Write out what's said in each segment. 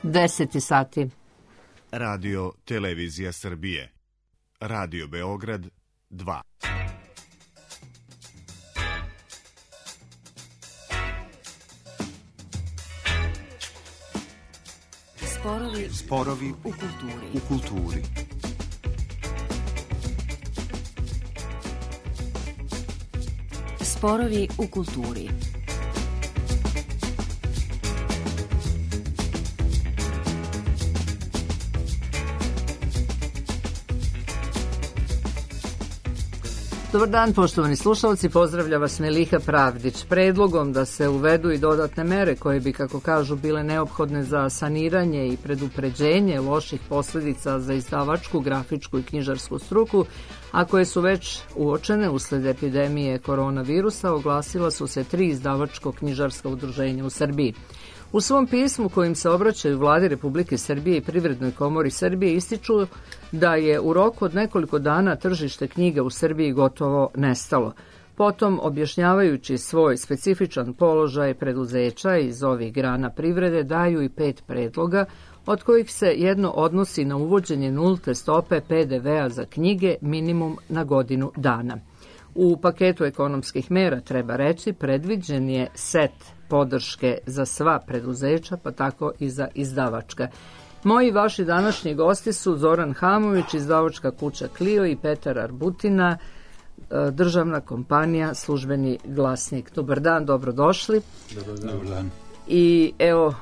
10 sati. Radio Televizija Srbije. Radio Beograd 2. Sporovi u kulturi. Sporovi u kulturi. Dobar dan, poštovani slušalci, pozdravlja vas Meliha Pravdić. Predlogom da se uvedu i dodatne mere koje bi, kako kažu, bile neophodne za saniranje i predupređenje loših posljedica za izdavačku, grafičku i knjižarsku struku, a koje su već uočene usled epidemije koronavirusa, oglasila su se 3 izdavačko-knjižarska udruženja u Srbiji. U svom pismu kojim se obraćaju Vladi Republike Srbije i Privrednoj komori Srbije ističu da je u roku od nekoliko dana tržište knjiga u Srbiji gotovo nestalo. Potom, objašnjavajući svoj specifičan položaj preduzeća iz ovih grana privrede, daju i 5 predloga, od kojih se jedno odnosi na uvođenje nulte stope PDV-a za knjige minimum na godinu dana. U paketu ekonomskih mera, treba reći, predviđen je set podrške za sva preduzeća, pa tako i za izdavačka. Moji vaši današnji gosti su Zoran Hamović, izdavačka kuća Clio, i Petar Arbutina, državna kompanija Službeni glasnik. Dobar dan, dobrodošli. Dobar dan. I evo,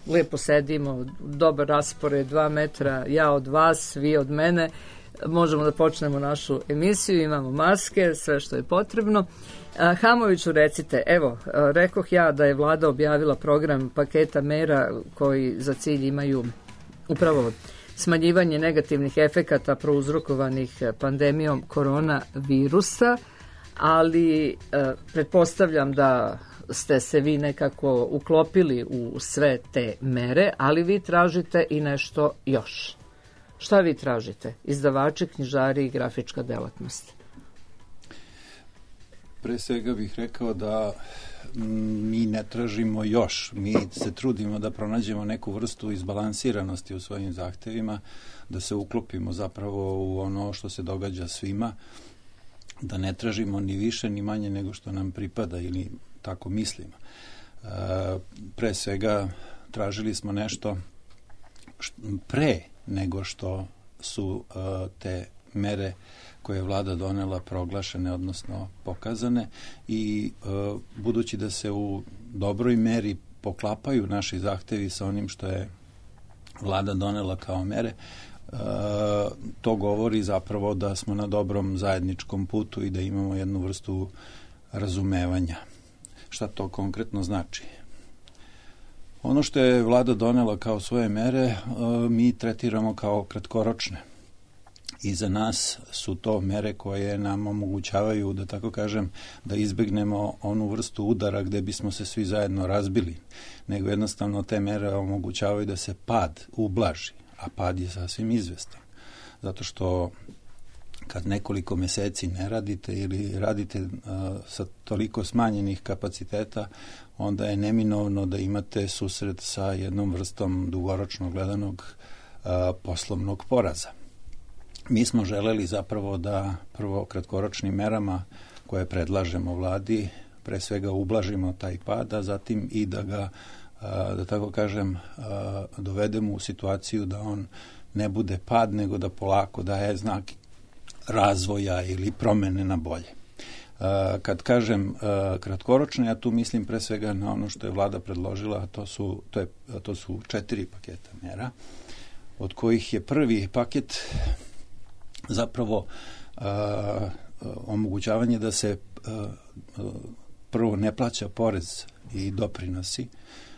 lijepo sedimo, dobar raspored, 2 metra, ja od vas, vi od mene. Možemo da počnemo našu emisiju, imamo maske, sve što je potrebno. Hamoviću, recite, evo, rekoh ja da je Vlada objavila program paketa mera koji za cilj imaju upravo smanjivanje negativnih efekata prouzrokovanih pandemijom koronavirusa, ali pretpostavljam da ste se vi nekako uklopili u sve te mere, ali vi tražite i nešto još. Šta vi tražite? Izdavači, knjižari i grafička delatnost. Pre svega bih rekao da mi ne tražimo još. Mi se trudimo da pronađemo neku vrstu izbalansiranosti u svojim zahtevima, da se uklopimo zapravo u ono što se događa svima, da ne tražimo ni više ni manje nego što nam pripada ili tako mislimo. Pre svega tražili smo nešto pre nego što su te mere koje je Vlada donela proglašene, odnosno pokazane, i budući da se u dobroj meri poklapaju naši zahtevi sa onim što je Vlada donela kao mere, to govori zapravo da smo na dobrom zajedničkom putu i da imamo jednu vrstu razumevanja. Šta to konkretno znači? Ono što je Vlada donela kao svoje mere, mi tretiramo kao kratkoročne. I za nas su to mere koje nam omogućavaju, da tako kažem, da izbegnemo onu vrstu udara gde bismo se svi zajedno razbili, nego jednostavno te mere omogućavaju da se pad ublaži, a pad je sasvim izvestan. Zato što kad nekoliko meseci ne radite ili radite sa toliko smanjenih kapaciteta, onda je neminovno da imate susret sa jednom vrstom dugoročno gledanog poslovnog poraza. Mi smo želeli zapravo da prvo kratkoročnim merama koje predlažemo Vladi pre svega ublažimo taj pad, a zatim i da ga, da tako kažem, dovedemo u situaciju da on ne bude pad, nego da polako daje znak razvoja ili promene na bolje. Kad kažem kratkoročno, ja tu mislim pre svega na ono što je Vlada predložila, a to su 4 paketa mera, od kojih je prvi paket zapravo omogućavanje da se prvo ne plaća porez i doprinosi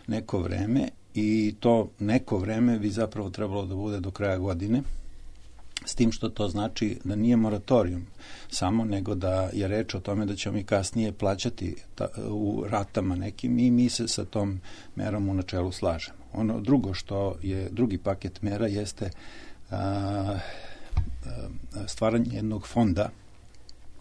neko vreme, i to neko vreme bi zapravo trebalo da bude do kraja godine, s tim što to znači da nije moratorijum samo, nego da je reč o tome da ćemo mi kasnije plaćati u ratama nekim, i mi se sa tom merom u načelu slažemo. Ono drugo što je drugi paket mera jeste stvaranje jednog fonda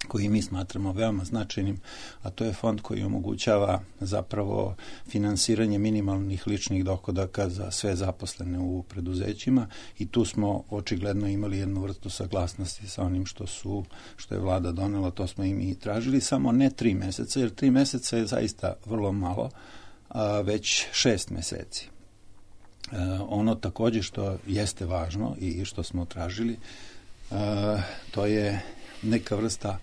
koji mi smatramo veoma značajnim, a to je fond koji omogućava zapravo finansiranje minimalnih ličnih dohodaka za sve zaposlene u preduzećima i tu smo očigledno imali jednu vrstu saglasnosti sa onim što je vlada donela, to smo i mi tražili, samo ne 3 meseca, jer 3 meseca je zaista vrlo malo, već 6 meseci. Ono takođe što jeste važno i što smo tražili, to je neka vrsta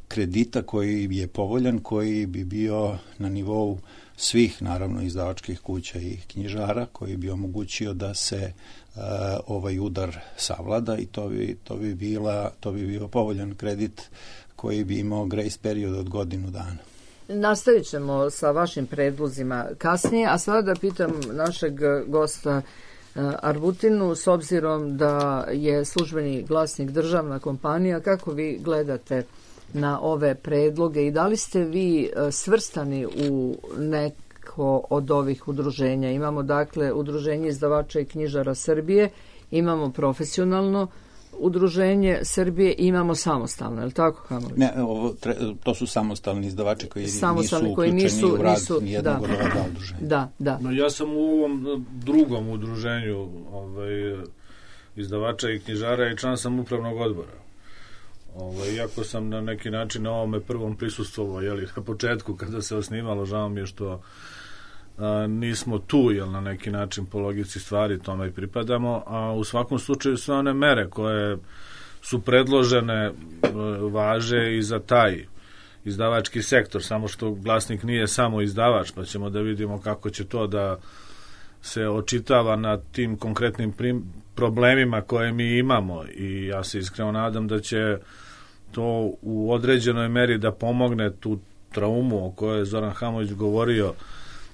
kredita koji je povoljan, koji bi bio na nivou svih, naravno, izdavačkih kuća i knjižara, koji bi omogućio da se ovaj udar savlada i to bi bio povoljan kredit koji bi imao grace period od godinu dana. Nastavit ćemo sa vašim predlozima kasnije, a sada da pitam našeg gosta Arbutinu, s obzirom da je Službeni glasnik državna kompanija, kako vi gledate na ove predloge i da li ste vi svrstani u neko od ovih udruženja? Imamo dakle Udruženje izdavača i knjižara Srbije, imamo profesionalno Udruženje Srbije i imamo samostalno, je li tako, Hamović? Ne, to su samostalni izdavači koji nisu uključeni u rad nijednog od ova dva udruženja. Da. No, ja sam u ovom drugom udruženju izdavača i knjižara i član sam upravnog odbora. Iako sam na neki način na ovome prvom prisustvovao, na početku kada se osnivalo, žao mi je što nismo tu, na neki način po logici stvari tome i pripadamo, a u svakom slučaju sve one mere koje su predložene važe i za taj izdavački sektor, samo što glasnik nije samo izdavač, pa ćemo da vidimo kako će to da se očitava na tim konkretnim problemima koje mi imamo i ja se iskreno nadam da će to u određenoj meri da pomogne tu traumu o kojoj je Zoran Hamović govorio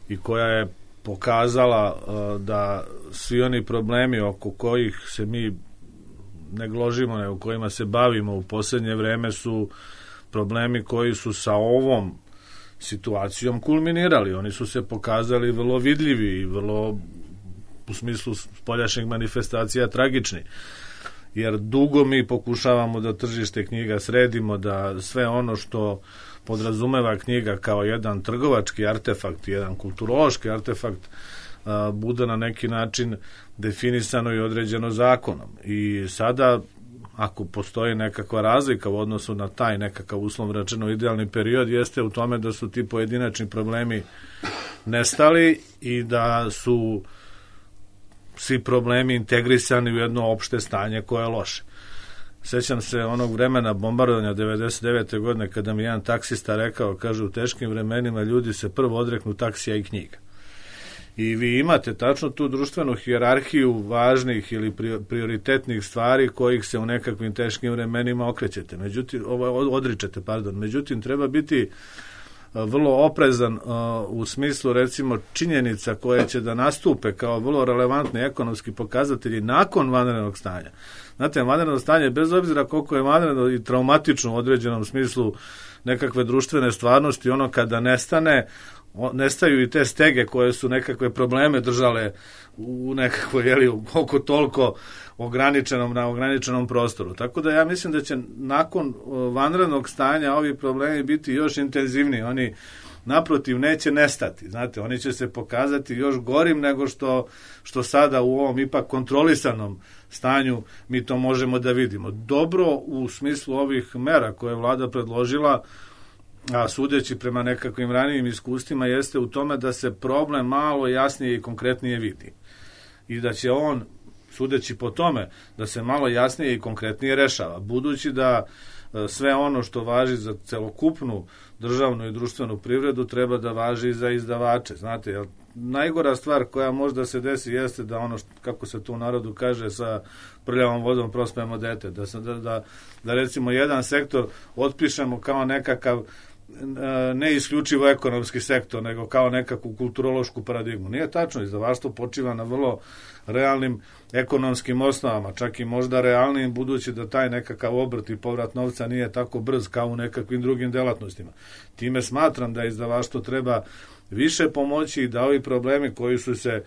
i koja je pokazala da svi oni problemi oko kojih se mi ne gložimo, nego kojima se bavimo u posljednje vreme su problemi koji su sa ovom situacijom kulminirali. Oni su se pokazali vrlo vidljivi i vrlo u smislu spoljašnjih manifestacija tragični. Jer dugo mi pokušavamo da tržište knjiga sredimo, da sve ono što podrazumeva knjiga kao jedan trgovački artefakt, jedan kulturološki artefakt, bude na neki način definisano i određeno zakonom. I sada, ako postoji nekakva razlika u odnosu na taj nekakav uslovno rečeno idealni period, jeste u tome da su ti pojedinačni problemi nestali i da su svi problemi integrisani u jedno opšte stanje koje je loše. Sećam se onog vremena bombardovanja 99. godine kada mi jedan taksista rekao, kaže, u teškim vremenima ljudi se prvo odreknu taksija i knjiga. I vi imate tačno tu društvenu hijerarhiju važnih ili prioritetnih stvari kojih se u nekakvim teškim vremenima odričete. Međutim, treba biti vrlo oprezan u smislu, recimo, činjenica koje će da nastupe kao vrlo relevantni ekonomski pokazatelji nakon vanrednog stanja. Znate, vanredno stanje, bez obzira koliko je vanredno i traumatično u određenom smislu nekakve društvene stvarnosti, ono kada nestane, nestaju i te stege koje su nekakve probleme držale u nekakvoj, oko toliko na ograničenom prostoru. Tako da ja mislim da će nakon vanrednog stanja ovi problemi biti još intenzivniji. Oni naprotiv neće nestati. Znate, oni će se pokazati još gorim nego što sada u ovom ipak kontrolisanom stanju mi to možemo da vidimo. Dobro u smislu ovih mera koje je vlada predložila, a sudeći prema nekakvim ranijim iskustvima, jeste u tome da se problem malo jasnije i konkretnije vidi. I da će on, sudeći po tome, da se malo jasnije i konkretnije rešava. Budući da sve ono što važi za celokupnu državnu i društvenu privredu treba da važi i za izdavače. Znate, jer najgora stvar koja možda se desi jeste da ono, kako se to u narodu kaže, sa prljavom vodom prospemo dete. Da recimo jedan sektor otpišemo kao nekakav ne isključivo ekonomski sektor, nego kao nekakvu kulturološku paradigmu. Nije tačno, izdavaštvo počiva na vrlo realnim ekonomskim osnovama, čak i možda realnim, budući da taj nekakav obrt i povrat novca nije tako brz kao u nekakvim drugim delatnostima. Time smatram da izdavaštvo treba više pomoći i da ovi problemi koji su se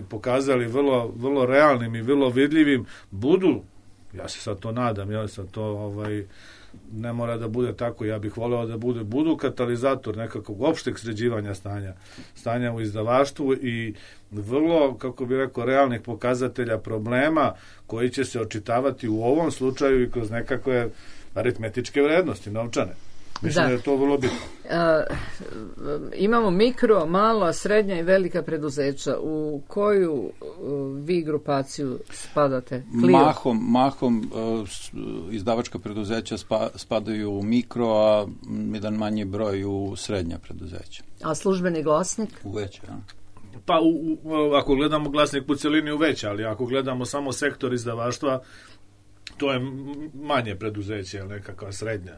pokazali vrlo realnim i vrlo vidljivim budu Ja se sad to nadam, ja sad to ne mora da bude tako, ja bih voleo da budu katalizator nekakvog opšteg sređivanja stanja u izdavaštvu i vrlo, kako bih rekao, realnih pokazatelja problema koji će se očitavati u ovom slučaju i kroz nekakve aritmetičke vrednosti, novčane. Mislim da je to vrlo bitno. Imamo mikro, mala, srednja i velika preduzeća. U koju vi grupaciju spadate? Mahom izdavačka preduzeća spadaju u mikro, a jedan manji broj u srednja preduzeća. A službeni glasnik? U veće, ja. Pa ako gledamo glasnik u celini u veće, ali ako gledamo samo sektor izdavaštva, to je manje preduzeće, nekakva srednja.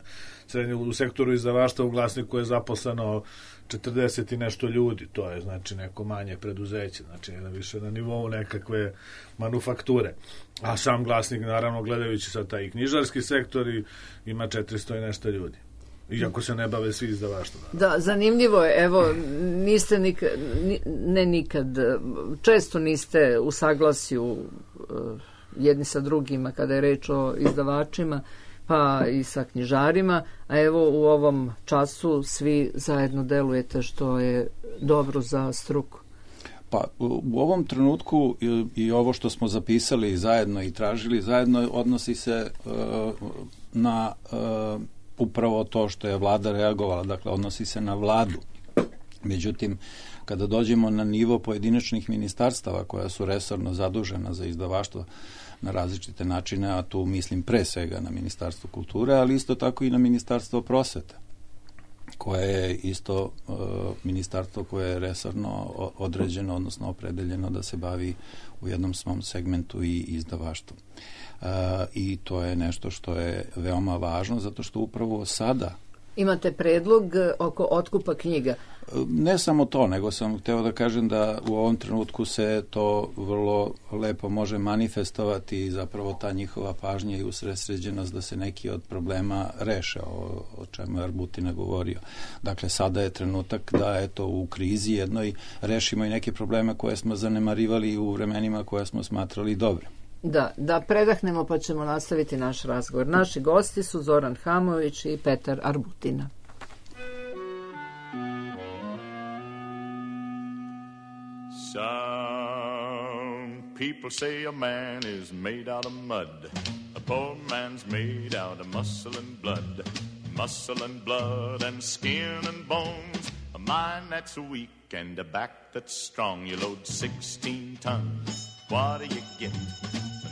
U sektoru izdavaštva u glasniku je zaposleno 40 i nešto ljudi, to je znači neko manje preduzeće, znači više na nivou nekakve manufakture. A sam glasnik, naravno, gledajući sad taj knjižarski sektor, ima 400 i nešto ljudi. Iako se ne bave svi izdavaštvom. Da, zanimljivo je, evo, niste nikad, često niste u saglasju jedni sa drugima kada je reč o izdavačima, pa i sa knjižarima, a evo u ovom času svi zajedno delujete, što je dobro za struku. Pa u ovom trenutku i ovo što smo zapisali zajedno i tražili zajedno odnosi se na upravo to što je vlada reagovala, dakle odnosi se na vladu. Međutim, kada dođemo na nivo pojedinačnih ministarstava koja su resorno zadužena za izdavaštvo na različite načine, a tu mislim pre svega na Ministarstvo kulture, ali isto tako i na Ministarstvo prosvete, koje je isto ministarstvo koje je resorno određeno, odnosno opredeljeno da se bavi u jednom svom segmentu i izdavaštvom. I to je nešto što je veoma važno, zato što upravo sada imate predlog oko otkupa knjiga. Ne samo to, nego sam hteo da kažem da u ovom trenutku se to vrlo lepo može manifestovati i zapravo ta njihova pažnja i usredsređenost da se neki od problema reše, o čemu je Arbutina govorio. Dakle, sada je trenutak da eto u krizi jednoj rešimo i neke probleme koje smo zanemarivali u vremenima koje smo smatrali dobrim. Da predahnemo pa ćemo nastaviti naš razgovor. Naši gosti su Zoran Hamović i Petar Arbutina. Some people say a man is made out of mud. A poor man's made out of muscle and blood. Muscle and blood and skin and bones. A mind that's weak and a back that's strong. You load 16 tons. What do you get?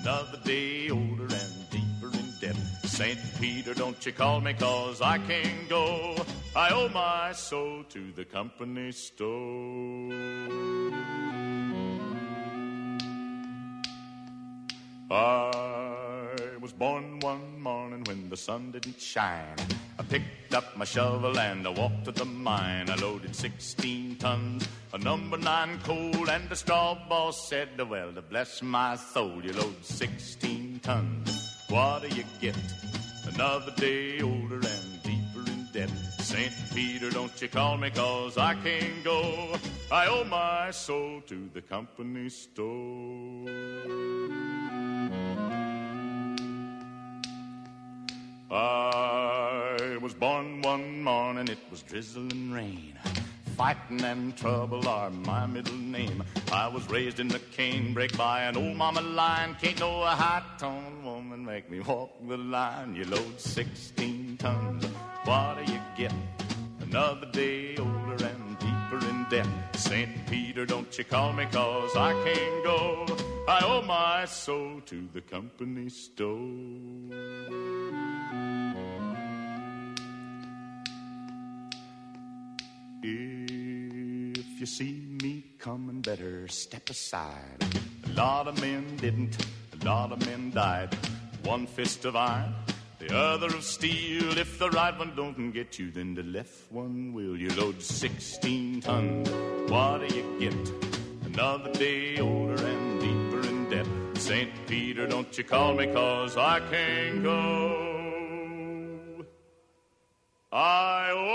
Another day older and deeper in debt. St. Peter, don't you call me, 'cause I can't go. I owe my soul to the company store. I was born one morning when the sun didn't shine. I picked up my shovel and I walked to the mine. I loaded 16 tons of number 9 coal, and the straw boss said, well, to bless my soul, you load 16 tons. What do you get? Another day older and deeper in debt. St. Peter, don't you call me, 'cause I can't go. I owe my soul to the company store. I was born one morning, it was drizzling rain. Fighting and trouble are my middle name. I was raised in the canebrake by an old mama lion. Can't no high-toned woman make me walk the line. You load 16 tons, what do you get? Another day older and deeper in debt. St. Peter, don't you call me, 'cause I can't go. I owe my soul to the company store. If you see me coming, better step aside. A lot of men didn't, a lot of men died. One fist of iron, the other of steel. If the right one don't get you, then the left one will. You load 16 tons, what do you get? Another day older and deeper in debt. St. Peter, don't you call me, 'cause I can't go. I owe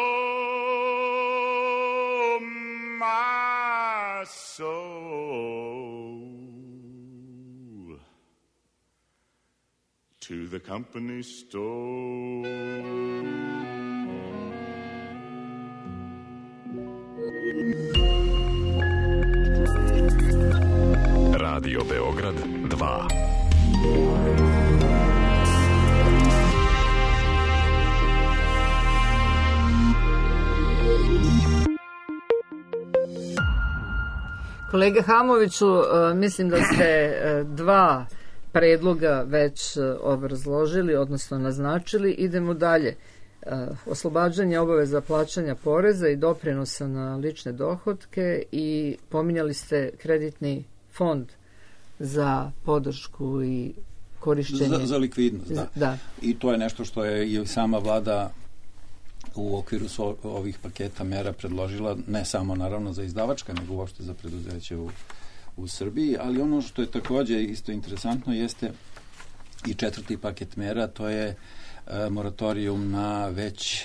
my soul to the company store. Radio Beograd 2. Kolega Hamoviću, mislim da ste dva predloga već obrazložili, odnosno naznačili. Idemo dalje. Oslobađanje obaveza plaćanja poreza i doprinosa na lične dohotke i pominjali ste kreditni fond za podršku i korišćenje. Za likvidnost, da. I to je nešto što je i sama vlada u okviru ovih paketa mera predložila, ne samo naravno za izdavačka, nego uopšte za preduzeće u Srbiji, ali ono što je takođe isto interesantno jeste i četvrti paket mera, to je moratorijum na već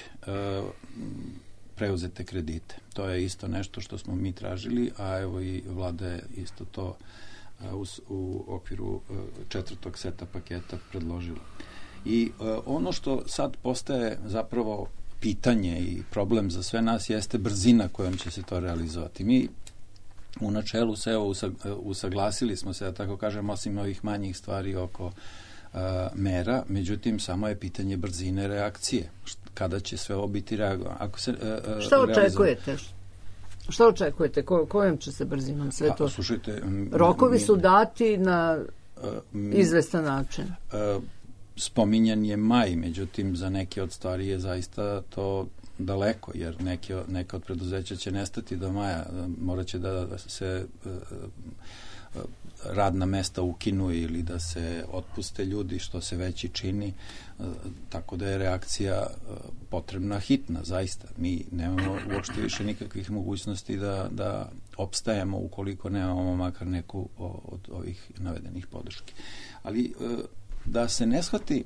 preuzete kredite. To je isto nešto što smo mi tražili, a evo i vlada je isto to u okviru četvrtog seta paketa predložila. I ono što sad postaje zapravo pitanje i problem za sve nas jeste brzina kojom će se to realizovati. Mi u načelu se usaglasili smo se, da tako kažem, osim ovih manjih stvari oko mera, međutim samo je pitanje brzine reakcije. Kada će sve ovo biti reagovano? Šta očekujete? Šta očekujete? Kojom će se brzinom sve to? Slušajte, rokovi su dati na izvestan način. Spominjan je maj, međutim za neke od stvari je zaista to daleko, jer neke od preduzeća će nestati do maja, morat će da se radna mesta ukinu ili da se otpuste ljudi, što se već i čini, tako da je reakcija potrebna hitna, zaista. Mi nemamo uopšte više nikakvih mogućnosti da opstajemo ukoliko nemamo makar neku od ovih navedenih podrški. Ali da se ne shvati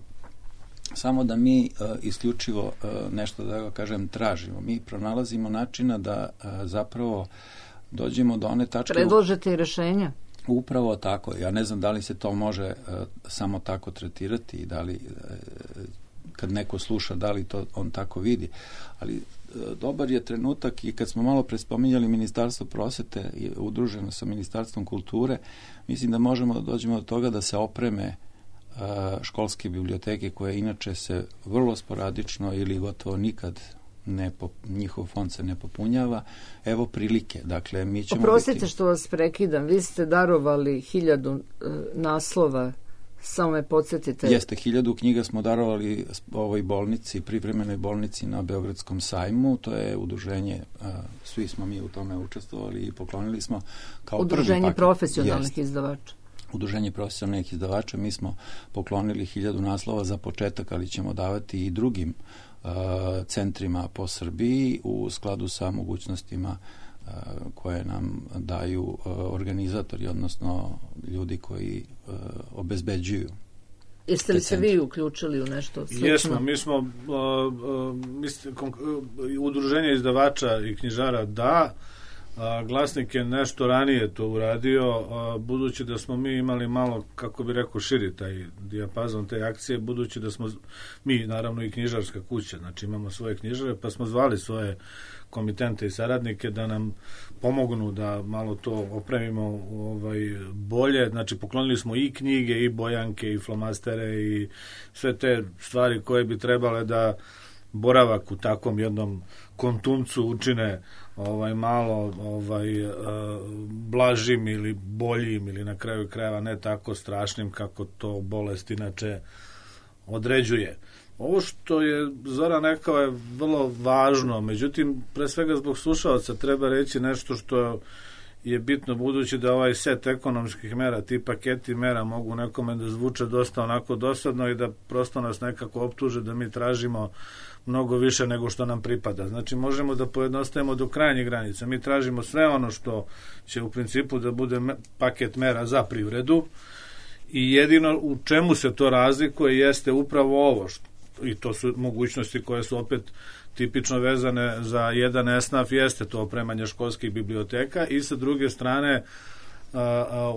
samo da mi isključivo nešto, da ga kažem, tražimo. Mi pronalazimo načina da zapravo dođemo do one tačke... Predložite i rešenja? Upravo tako. Ja ne znam da li se to može samo tako tretirati i da li kad neko sluša, da li to on tako vidi. Ali dobar je trenutak i kad smo malo prespominjali Ministarstvo prosvete udruženo sa Ministarstvom kulture, mislim da možemo da dođemo do toga da se opreme školske biblioteke koje inače se vrlo sporadično ili gotovo nikad njihov fond se ne popunjava. Evo prilike. Dakle, mi ćemo Oprostite što vas prekidam. Vi ste darovali 1000 naslova. Samo me podsjetite. Jeste, 1000 knjiga smo darovali ovoj bolnici, privremenoj bolnici na Beogradskom sajmu. To je udruženje, svi smo mi u tome učestvovali i poklonili smo kao udruženje profesionalnih izdavača. Udruženje profesionalnih izdavača. Mi smo poklonili 1000 naslova za početak, ali ćemo davati i drugim centrima po Srbiji u skladu sa mogućnostima koje nam daju organizatori, odnosno ljudi koji obezbeđuju. Jeste li se vi uključili u nešto slično? Jesmo, mi smo udruženje izdavača i knjižara Glasnik je nešto ranije to uradio, budući da smo mi imali malo, kako bi rekao, širi taj dijapazon te akcije, budući da smo mi, naravno i knjižarska kuća, znači imamo svoje knjižare, pa smo zvali svoje komitente i saradnike da nam pomognu da malo to opremimo bolje, znači poklonili smo i knjige, i bojanke, i flomastere, i sve te stvari koje bi trebale da boravak u takvom jednom kontumcu učine malo blažim ili boljim ili na kraju krajeva ne tako strašnim kako to bolest inače određuje. Ovo što je Zoran rekao je vrlo važno, međutim pre svega zbog slušalaca treba reći nešto što je bitno, budući da ovaj set ekonomskih mera, ti paketi mera mogu nekome da zvuče dosta onako dosadno i da prosto nas nekako optuže da mi tražimo mnogo više nego što nam pripada. Znači možemo da pojednostavimo do krajnjih granica. Mi tražimo sve ono što će u principu da bude paket mera za privredu i jedino u čemu se to razlikuje jeste upravo ovo i to su mogućnosti koje su opet tipično vezane za jedan esnaf, jeste to opremanje školskih biblioteka i sa druge strane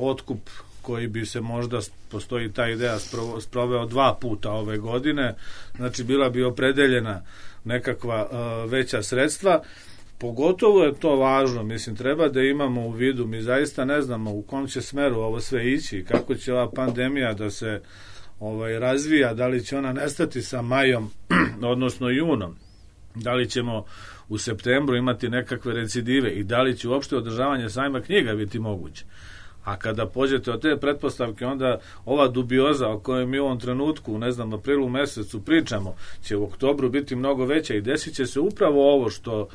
otkup koji bi se možda, postoji ta ideja, sproveo 2 puta ove godine, znači bila bi opredeljena nekakva veća sredstva. Pogotovo je to važno, mislim, treba da imamo u vidu, mi zaista ne znamo u kom će smeru ovo sve ići, kako će ova pandemija da se razvija, da li će ona nestati sa majom, odnosno junom, da li ćemo u septembru imati nekakve recidive i da li će uopšte održavanje sajma knjiga biti moguće. A kada pođete od te pretpostavke, onda ova dubioza o kojoj mi u ovom trenutku, ne znam, aprilu mesecu pričamo, će u oktobru biti mnogo veća i desit će se upravo ovo što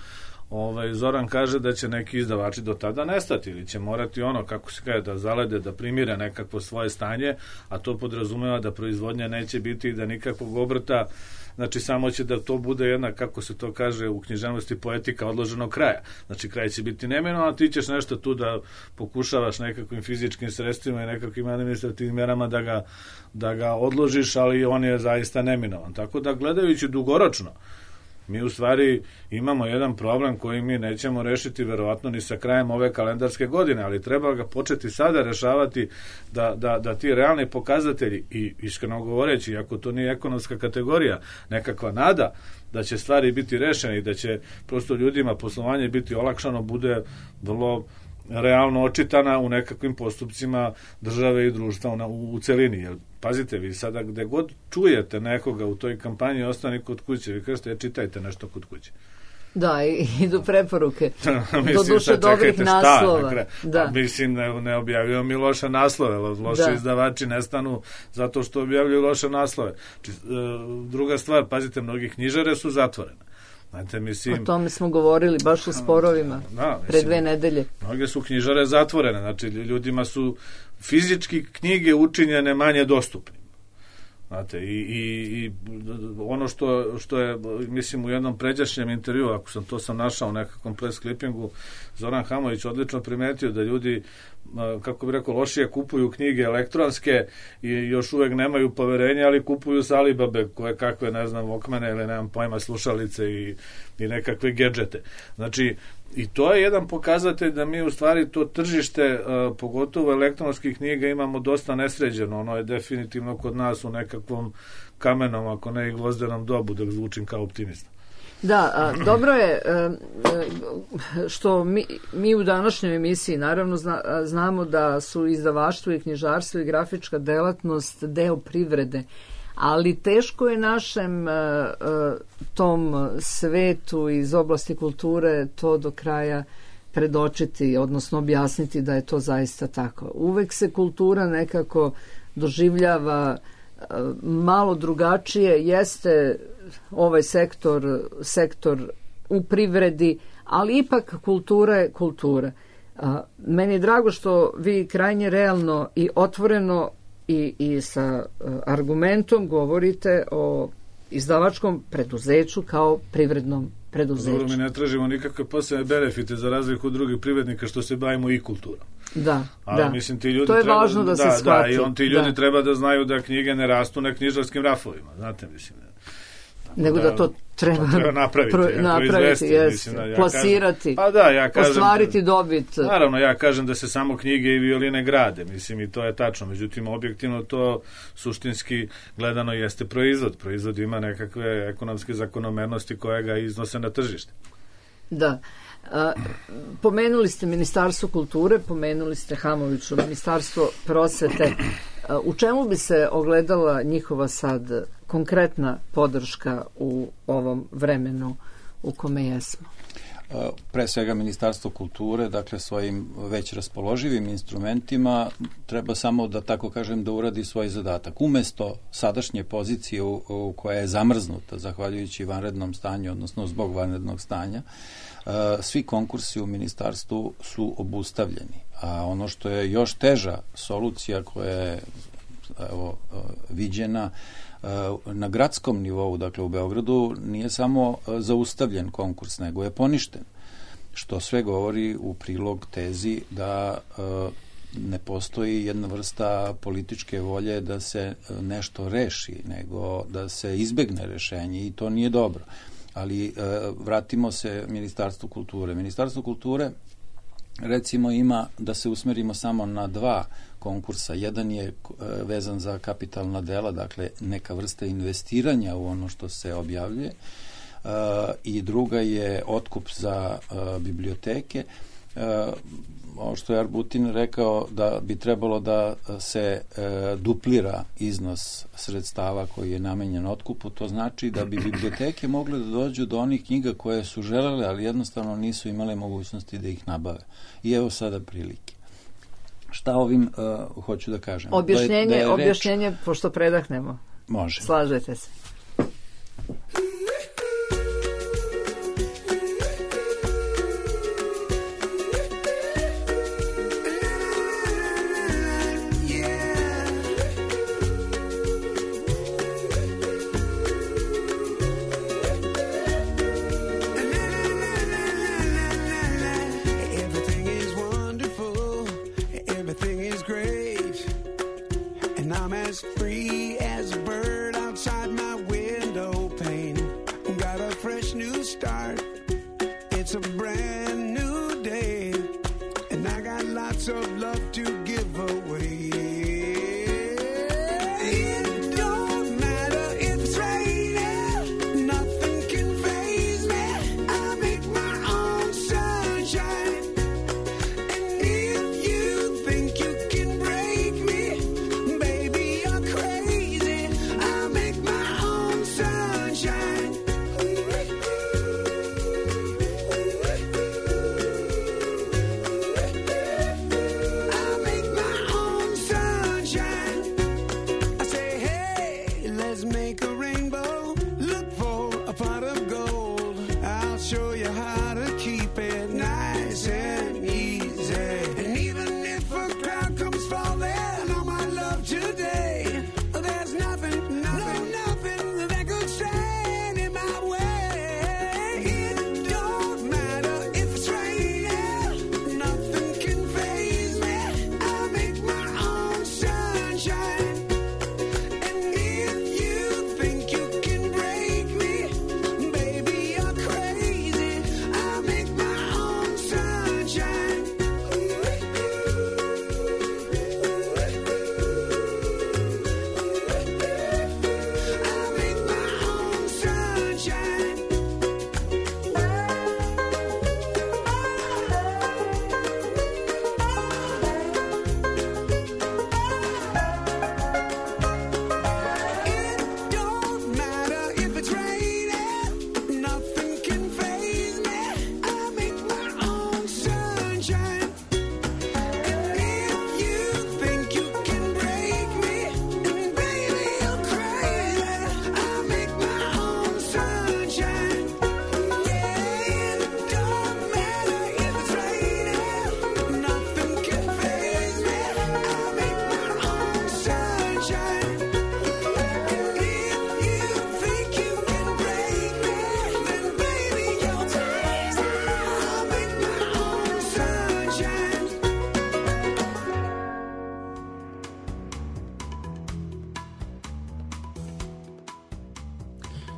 Zoran kaže, da će neki izdavači do tada nestati ili će morati kako se kaže, da zalede, da primire nekakvo svoje stanje, a to podrazumeva da proizvodnja neće biti i da nikakvog obrta, znači samo će da to bude jedna, kako se to kaže u književnosti, poetika odloženog kraja. Znači kraj će biti neminovan, a ti ćeš nešto tu da pokušavaš nekakvim fizičkim sredstvima i nekakvim administrativnim mjerama da ga odložiš, ali on je zaista neminovan. Tako da gledajući dugoročno, mi u stvari imamo jedan problem koji mi nećemo rešiti verovatno ni sa krajem ove kalendarske godine, ali treba ga početi sada rešavati da ti realni pokazatelji i iskreno govoreći, ako to nije ekonomska kategorija, nekakva nada da će stvari biti rešene i da će prosto ljudima poslovanje biti olakšano, bude vrlo realno očitana u nekakvim postupcima države i društva u celini. Jer, pazite, vi sada gde god čujete nekoga u toj kampanji, ostani kod kuće, vi kažete, čitajte nešto kod kuće. Da, idu preporuke. Do duše dobrih naslova. Da. Mislim, ne objavljaju mi loše naslove, loše izdavači nestanu zato što objavljuju loše naslove. Druga stvar, pazite, mnogi knjižare su zatvorene. Znate, mislim, o tome smo govorili baš u sporovima pre 2 nedelje. Mnoge su knjižare zatvorene, znači ljudima su fizički knjige učinjene manje dostupnim. Znate, i ono što je, mislim, u jednom pređašnjem intervju, ako sam našao u nekakvom press clippingu, Zoran Hamović odlično primetio da ljudi, kako bi rekao, lošije kupuju knjige elektronske i još uvek nemaju poverenja, ali kupuju s Alibabe koje kakve, ne znam, Walkmane ili nemam pojma, slušalice i nekakve gedžete. Znači, i to je jedan pokazatelj da mi u stvari to tržište, pogotovo elektronskih knjiga, imamo dosta nesređeno. Ono je definitivno kod nas u nekakvom kamenom, ako ne i gvozdenom dobu, da zvučim kao optimista. Da, dobro je što mi u današnjoj emisiji naravno znamo da su izdavaštvo i knjižarstvo i grafička delatnost deo privrede, ali teško je našem tom svetu iz oblasti kulture to do kraja predočiti, odnosno objasniti da je to zaista tako. Uvek se kultura nekako doživljava malo drugačije, jeste ovaj sektor u privredi, ali ipak kultura je kultura. Meni je drago što vi krajnje realno i otvoreno i sa argumentom govorite o izdavačkom preduzeću kao privrednom preduzeću. Dobro, mi ne tražimo nikakve posebne benefite za razliku od drugih privrednika što se bavimo i kulturom. Da, mislim, ti ljudi to je važno da se shvati. I ti ljudi treba da znaju da knjige ne rastu na knjižarskim rafovima, znate, mislim. Nego da to treba napraviti, plasirati, ostvariti dobit. Naravno, ja kažem da se samo knjige i violine grade, mislim, i to je tačno. Međutim, objektivno to suštinski gledano jeste proizvod. Proizvod ima nekakve ekonomske zakonomernosti koje ga iznose na tržište. Da. Pomenuli ste Ministarstvo kulture, pomenuli ste Hamoviću, Ministarstvo prosvete. U čemu bi se ogledala njihova sad konkretna podrška u ovom vremenu u kome jesmo? Pre svega Ministarstvo kulture, dakle svojim već raspoloživim instrumentima treba samo da tako kažem da uradi svoj zadatak. Umesto sadašnje pozicije u koja je zamrznuta zahvaljujući vanrednom stanju, odnosno zbog vanrednog stanja, svi konkursi u ministarstvu su obustavljeni. A ono što je još teža solucija koja je viđena na gradskom nivou, dakle u Beogradu, nije samo zaustavljen konkurs, nego je poništen. Što sve govori u prilog tezi da ne postoji jedna vrsta političke volje da se nešto reši, nego da se izbegne rešenje i to nije dobro. Ali vratimo se Ministarstvu kulture. Ministarstvo kulture recimo ima da se usmerimo samo na 2 konkursa. Jedan je vezan za kapitalna dela, dakle neka vrsta investiranja u ono što se objavljuje, i druga je otkup za biblioteke. Ovo što je Arbutin rekao da bi trebalo da se duplira iznos sredstava koji je namenjen otkupu, to znači da bi biblioteke mogle da dođu do onih knjiga koje su želele, ali jednostavno nisu imale mogućnosti da ih nabave. I evo sada prilike. Šta ovim hoću da kažem? Objašnjenje, pošto predahnemo. Može. Slažete se.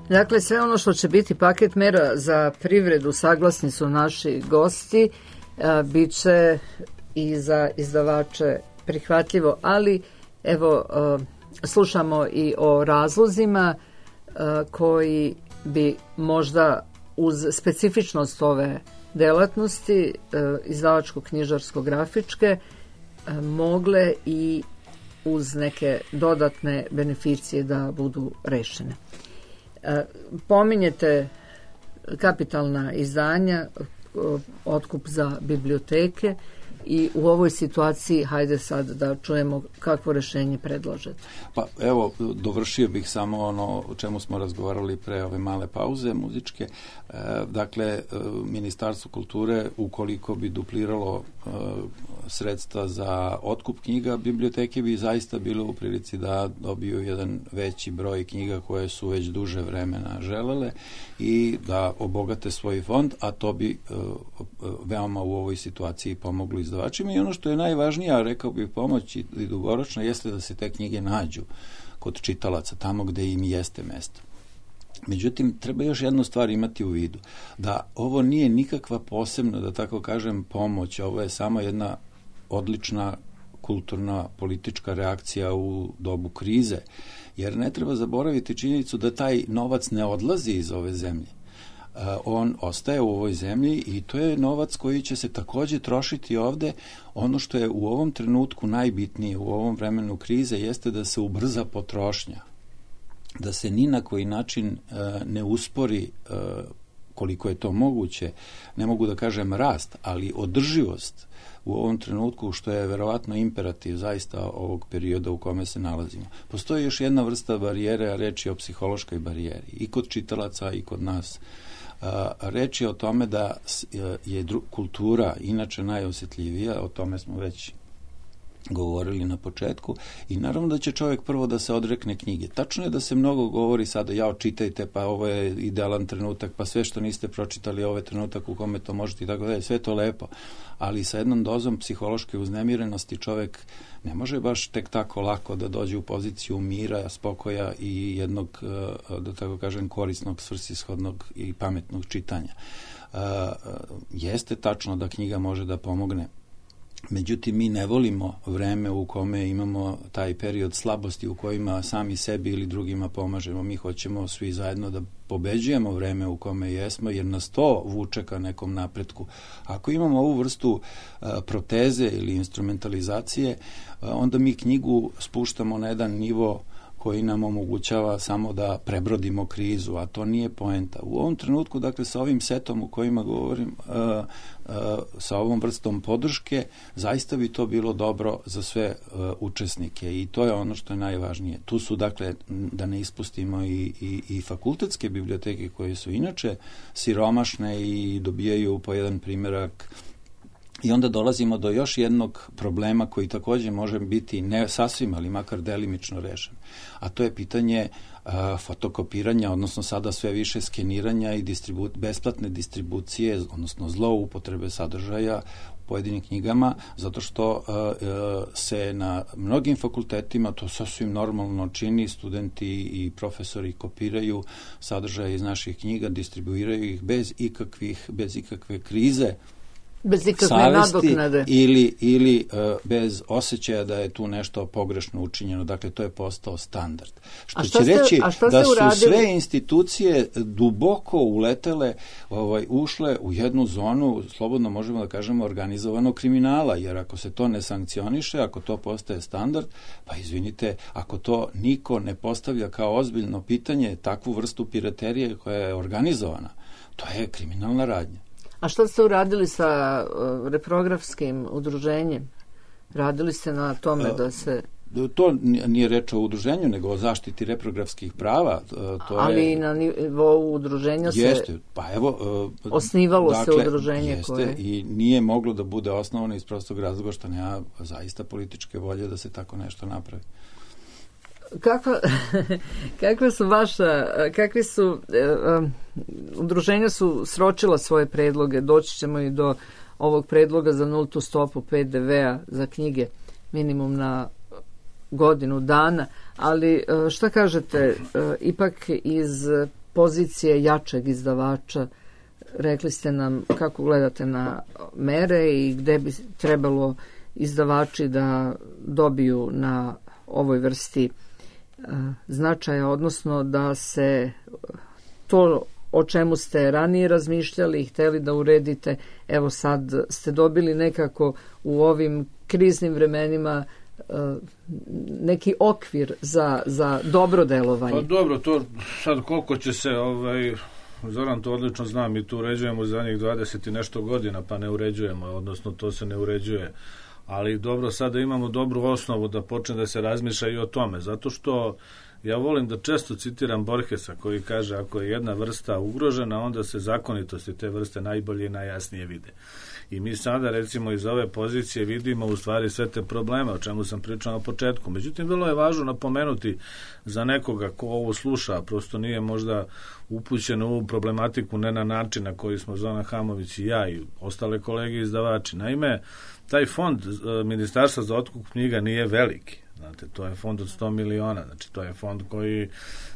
Dakle, sve ono što će biti paket mera za privredu, saglasni su naši gosti, bit će i za izdavače prihvatljivo, ali evo, slušamo i o razlozima koji bi možda uz specifičnost ove delatnosti, izdavačko-knjižarsko-grafičke, mogle i uz neke dodatne beneficije da budu rešene. Pominjete kapitalna izdanja, otkup za biblioteke i u ovoj situaciji hajde sad da čujemo kakvo rešenje predlažete. Pa evo, dovršio bih samo ono o čemu smo razgovarali pre ove male pauze muzičke. Dakle, Ministarstvo kulture, ukoliko bi dupliralo sredstva za otkup knjiga, biblioteke bi zaista bilo u prilici da dobiju jedan veći broj knjiga koje su već duže vremena želele i da obogate svoj fond, a to bi veoma u ovoj situaciji pomoglo izdavačima. I ono što je najvažnije, a rekao bih pomoć i dugoročno, jeste da se te knjige nađu kod čitalaca tamo gde im jeste mesto. Međutim, treba još jednu stvar imati u vidu, da ovo nije nikakva posebna, da tako kažem, pomoć, ovo je samo jedna odlična kulturna, politička reakcija u dobu krize, jer ne treba zaboraviti činjenicu da taj novac ne odlazi iz ove zemlje. On ostaje u ovoj zemlji i to je novac koji će se takođe trošiti ovde. Ono što je u ovom trenutku najbitnije u ovom vremenu krize jeste da se ubrza potrošnja, da se ni na koji način ne uspori koliko je to moguće, ne mogu da kažem rast, ali održivost u ovom trenutku, što je verovatno imperativ zaista ovog perioda u kome se nalazimo. Postoji još jedna vrsta barijere, a reč je o psihološkoj barijeri, i kod čitalaca i kod nas. Reč je o tome da je kultura inače najosjetljivija, o tome smo već govorili na početku, i naravno da će čovjek prvo da se odrekne knjige. Tačno je da se mnogo govori sada, ja čitajte, pa ovo je idealan trenutak, pa sve što niste pročitali, ovo je trenutak u kome to možete i tako dalje, sve to lepo, ali sa jednom dozom psihološke uznemirenosti čovjek ne može baš tek tako lako da dođe u poziciju mira, spokoja i jednog, da tako kažem, korisnog, svrsishodnog i pametnog čitanja. Jeste tačno da knjiga može da pomogne. Međutim, mi ne volimo vreme u kome imamo taj period slabosti u kojima sami sebi ili drugima pomažemo. Mi hoćemo svi zajedno da pobeđujemo vreme u kome jesmo, jer nas to vuče ka nekom napretku. Ako imamo ovu vrstu proteze ili instrumentalizacije, onda mi knjigu spuštamo na jedan nivo koji nam omogućava samo da prebrodimo krizu, a to nije poenta. U ovom trenutku, dakle, sa ovim setom u kojima govorim, sa ovom vrstom podrške, zaista bi to bilo dobro za sve učesnike i to je ono što je najvažnije. Tu su, dakle, da ne ispustimo i fakultetske biblioteke koje su inače siromašne i dobijaju po jedan primjerak. I onda dolazimo do još jednog problema koji također može biti ne sasvim, ali makar delimično rešen. A to je pitanje fotokopiranja, odnosno sada sve više skeniranja i besplatne distribucije, odnosno zloupotrebe sadržaja u pojedinim knjigama, zato što se na mnogim fakultetima to sasvim normalno čini, studenti i profesori kopiraju sadržaje iz naših knjiga, distribuiraju ih bez ikakve krize, bez ikakve nadoknade ili bez osjećaja da je tu nešto pogrešno učinjeno. Dakle, to je postao standard. Što će reći da su sve institucije duboko uletele, ušle u jednu zonu, slobodno možemo da kažemo, organizovanog kriminala, jer ako se to ne sankcioniše, ako to postaje standard, pa izvinite, ako to niko ne postavlja kao ozbiljno pitanje, takvu vrstu piraterije koja je organizovana, to je kriminalna radnja. A što ste uradili sa reprografskim udruženjem? Radili ste na tome da se... To nije reč o udruženju, nego o zaštiti reprografskih prava. Ali na nivou udruženja jeste, osnivalo se udruženje jeste, koje... I nije moglo da bude osnovano iz prostog razloga što nema zaista političke volje da se tako nešto napravi. Kakvi su udruženja su sročila svoje predloge, doći ćemo i do ovog predloga za nultu stopu PDV-a za knjige minimum na godinu dana, ali šta kažete, ipak iz pozicije jačeg izdavača, rekli ste nam kako gledate na mere i gde bi trebalo izdavači da dobiju na ovoj vrsti značaja, odnosno da se to o čemu ste ranije razmišljali i hteli da uredite, evo sad ste dobili nekako u ovim kriznim vremenima neki okvir za dobro delovanje. Pa dobro, to sad koliko će se Zoran to odlično zna, mi tu uređujemo za njih 20 i nešto godina, pa ne uređujemo, odnosno to se ne uređuje. Ali dobro, sada imamo dobru osnovu da počne da se razmišlja i o tome, zato što ja volim da često citiram Borgesa koji kaže ako je jedna vrsta ugrožena, onda se zakonitosti te vrste najbolje i najjasnije vide. I mi sada recimo iz ove pozicije vidimo u stvari sve te probleme o čemu sam pričao na početku. Međutim, vrlo je važno napomenuti za nekoga ko ovo sluša, prosto nije možda upućen u ovu problematiku ne na način na koji smo Zoran Hamović i ja i ostale kolege izdavači. Naime, taj fond Ministarstva za otkup knjiga nije veliki. Znate, to je fond od 100 miliona, znači to je fond koji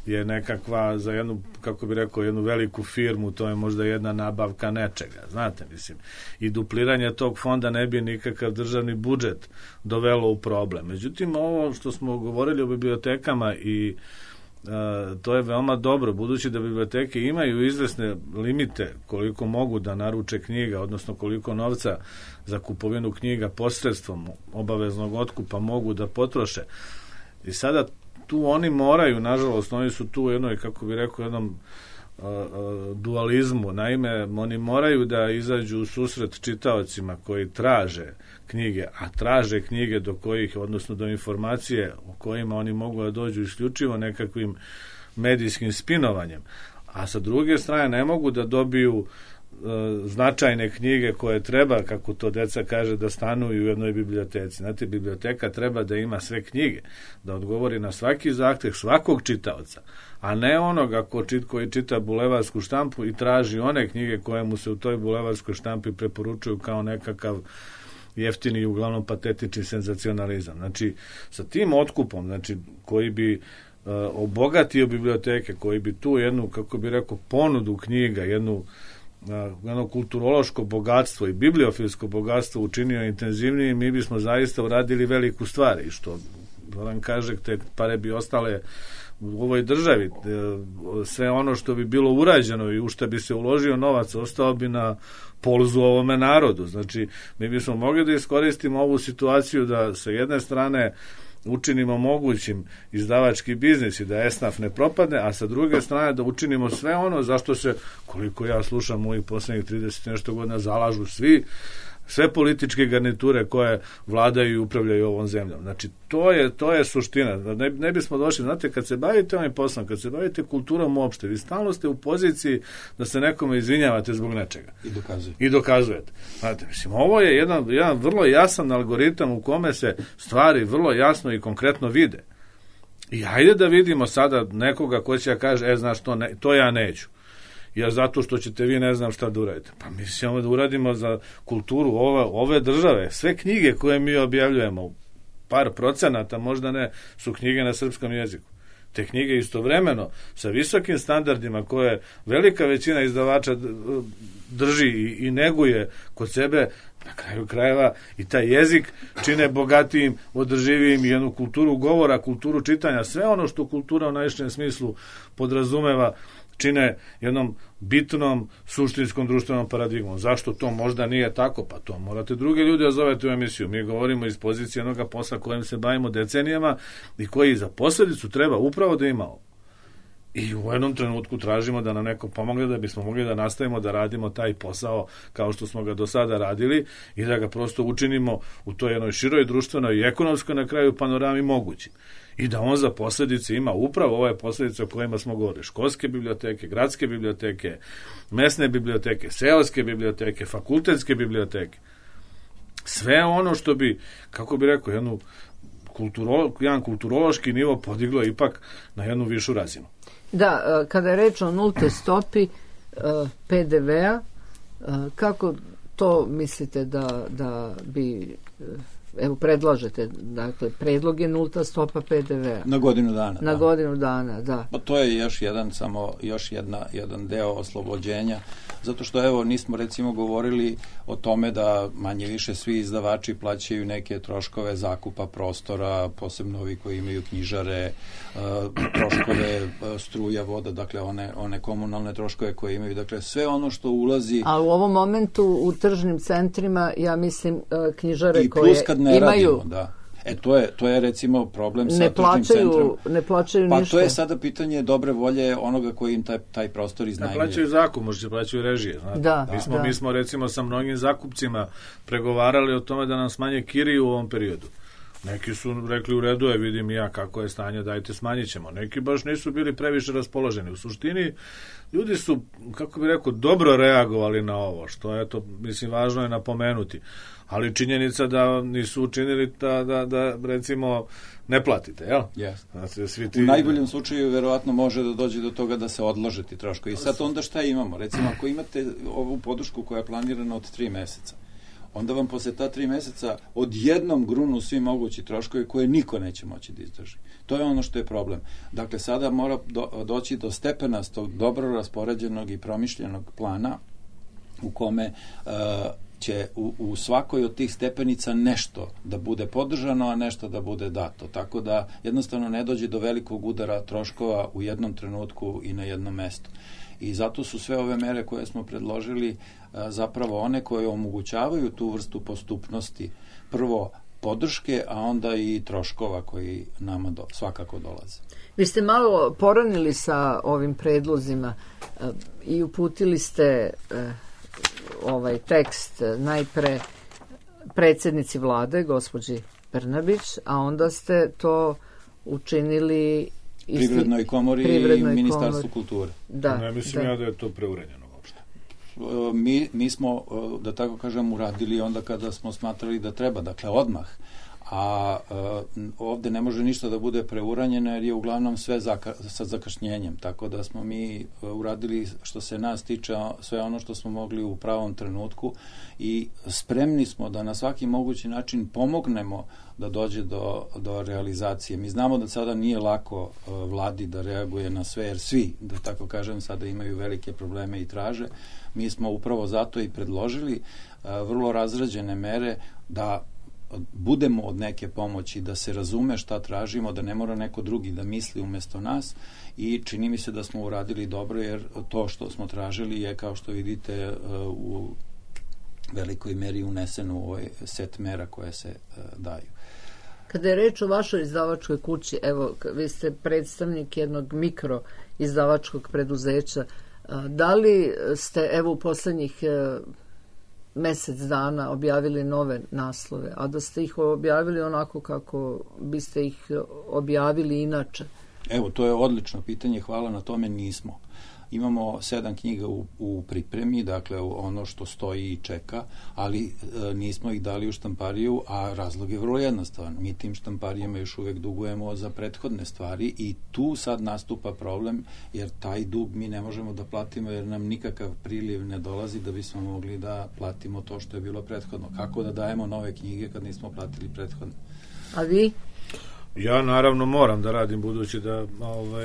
je nekakva za jednu, kako bi rekao, jednu veliku firmu, to je možda jedna nabavka nečega, znate, mislim. I dupliranje tog fonda ne bi nikakav državni budžet dovelo u problem. Međutim, ovo što smo govorili o bibliotekama i to je veoma dobro, budući da biblioteke imaju izvesne limite koliko mogu da naruče knjiga, odnosno koliko novca za kupovinu knjiga posredstvom obaveznog otkupa mogu da potroše. I sada tu oni moraju, nažalost, oni su tu u jednoj, kako bi rekao, jednom dualizmu. Naime, oni moraju da izađu u susret čitaocima koji traže knjige, a traže knjige do kojih, odnosno do informacije o kojima oni mogu da dođu isključivo nekakvim medijskim spinovanjem. A sa druge strane ne mogu da dobiju značajne knjige koje treba, kako to deca kaže, da stanuju u jednoj biblioteci. Znate, biblioteka treba da ima sve knjige, da odgovori na svaki zahtev svakog čitaoca, a ne onoga koji čita bulevarsku štampu i traži one knjige koje mu se u toj bulevarskoj štampi preporučuju kao nekakav jeftini i uglavnom patetični senzacionalizam. Znači, sa tim otkupom, znači, koji bi obogatio biblioteke, koji bi tu jednu, kako bi rekao, ponudu knjiga, jedno kulturološko bogatstvo i bibliofilsko bogatstvo učinio intenzivnije, mi bismo zaista uradili veliku stvar. I što vam kaže, te pare bi ostale u ovoj državi. Sve ono što bi bilo urađeno i u što bi se uložio novac ostao bi na polzu ovome narodu. Znači, mi bismo mogli da iskoristimo ovu situaciju da sa jedne strane učinimo mogućim izdavački biznis i da esnaf ne propadne, a sa druge strane da učinimo sve ono zašto se, koliko ja slušam mojih poslednjih 30 nešto godina, zalažu sve političke garniture koje vladaju i upravljaju ovom zemljom. Znači, to je suština. Ne bismo došli, znate, kad se bavite ovim poslom, kad se bavite kulturom uopšte, vi stalno ste u poziciji da se nekome izvinjavate zbog nečega. I dokazujete. Znate, mislim, ovo je jedan vrlo jasan algoritam u kome se stvari vrlo jasno i konkretno vide. I hajde da vidimo sada nekoga ko će da kaže, znaš, to ja neću. Ja zato što ćete vi ne znam šta da uradite. Pa mi ćemo da uradimo za kulturu ove države. Sve knjige koje mi objavljujemo, par procenata, možda ne, su knjige na srpskom jeziku. Te knjige istovremeno sa visokim standardima koje velika većina izdavača drži i neguje kod sebe, na kraju krajeva i taj jezik čine bogatijim, održivijim i jednu kulturu govora, kulturu čitanja, sve ono što kultura u najširem smislu podrazumeva čine jednom bitnom suštinskom društvenom paradigmom. Zašto to možda nije tako? Pa to morate druge ljude da zovete u emisiju. Mi govorimo iz pozicije onoga posla kojim se bavimo decenijama i koji za posledicu treba upravo da ima ovo. I u jednom trenutku tražimo da nam neko pomogne da bismo mogli da nastavimo da radimo taj posao kao što smo ga do sada radili i da ga prosto učinimo u toj jednoj široj društvenoj i ekonomskoj na kraju panorami mogući. I da on za posledice ima upravo ove posledice o kojima smo govorili. Školske biblioteke, gradske biblioteke, mesne biblioteke, seoske biblioteke, fakultetske biblioteke. Sve ono što bi, kako bi rekao, jedan kulturološki nivo podiglo ipak na jednu višu razinu. Da, kada je reč o nulte stopi PDV-a, kako to mislite da bi, evo predlažete, dakle, predlog je nulta stopa PDV-a. Na godinu dana. Na godinu dana, da. Pa to je još jedan deo oslobođenja, zato što, evo, nismo recimo govorili o tome da manje više svi izdavači plaćaju neke troškove zakupa prostora, posebno ovi koji imaju knjižare, troškove struja, voda, dakle one komunalne troškove koje imaju, dakle sve ono što ulazi. A u ovom momentu u tržnim centrima, ja mislim, knjižare i koje ne imaju... Radimo, da. To je recimo problem sa tržnim centrom. Ne plaćaju pa ništa. To je sada pitanje dobre volje onoga koji im taj prostor iznajmljuje. Ne plaćaju zakup, možda plaćaju režije. Mi smo recimo sa mnogim zakupcima pregovarali o tome da nam smanje kiriju u ovom periodu. Neki su rekli u redu je, vidim i ja kako je stanje, dajte smanjit ćemo. Neki baš nisu bili previše raspoloženi. U suštini, ljudi su, kako bi rekao, dobro reagovali na ovo, što je to, mislim, važno je napomenuti. Ali činjenica da nisu učinili da recimo, ne platite, jel? Yes. Znači, svi u najboljem slučaju verovatno može da dođe do toga da se odlože ti troškovi. I sad onda šta imamo? Recimo, ako imate ovu podršku koja je planirana od 3 meseca, onda vam posle ta 3 meseca odjednom grunu svi mogući troškovi koje niko neće moći da izdrži. To je ono što je problem. Dakle, sada mora doći do stepenastog, dobro raspoređenog i promišljenog plana u kome će u svakoj od tih stepenica nešto da bude podržano, a nešto da bude dato. Tako da jednostavno ne dođe do velikog udara troškova u jednom trenutku i na jednom mestu. I zato su sve ove mere koje smo predložili zapravo one koje omogućavaju tu vrstu postupnosti. Prvo podrške, a onda i troškova koji nama svakako dolaze. Vi ste malo poranili sa ovim predlozima i uputili ste ovaj tekst najpre predsjednici vlade, gospođi Brnabić, a onda ste to učinili Privrednoj komori i Ministarstvu kulture. Da, ne mislim ja da je to preuranjeno uopšte. Mi smo, da tako kažem, uradili onda kada smo smatrali da treba, dakle odmah. A ovde ne može ništa da bude preuranjeno jer je uglavnom sve sa zakašnjenjem, tako da smo mi uradili što se nas tiče sve ono što smo mogli u pravom trenutku i spremni smo da na svaki mogući način pomognemo da dođe do realizacije. Mi znamo da sada nije lako vladi da reaguje na sve, jer svi, da tako kažem, sada imaju velike probleme i traže. Mi smo upravo zato i predložili vrlo razrađene mere da budemo od neke pomoći, da se razume šta tražimo, da ne mora neko drugi da misli umesto nas i čini mi se da smo uradili dobro jer to što smo tražili je, kao što vidite, u velikoj meri uneseno u ovaj set mera koje se daju. Kada je reč o vašoj izdavačkoj kući, evo, vi ste predstavnik jednog mikro izdavačkog preduzeća, da li ste, evo, u poslednjih mesec dana objavili nove naslove, a da ste ih objavili onako kako biste ih objavili inače? Evo, to je odlično pitanje, hvala na tome, nismo. Imamo 7 knjiga u pripremi, dakle ono što stoji i čeka, ali nismo ih dali u štampariju, a razlog je vrlo jednostavan. Mi tim štamparijama još uvek dugujemo za prethodne stvari i tu sad nastupa problem, jer taj dug mi ne možemo da platimo jer nam nikakav priliv ne dolazi da bismo mogli da platimo to što je bilo prethodno. Kako da dajemo nove knjige kad nismo platili prethodne? A vi? Ja naravno moram da radim budući da...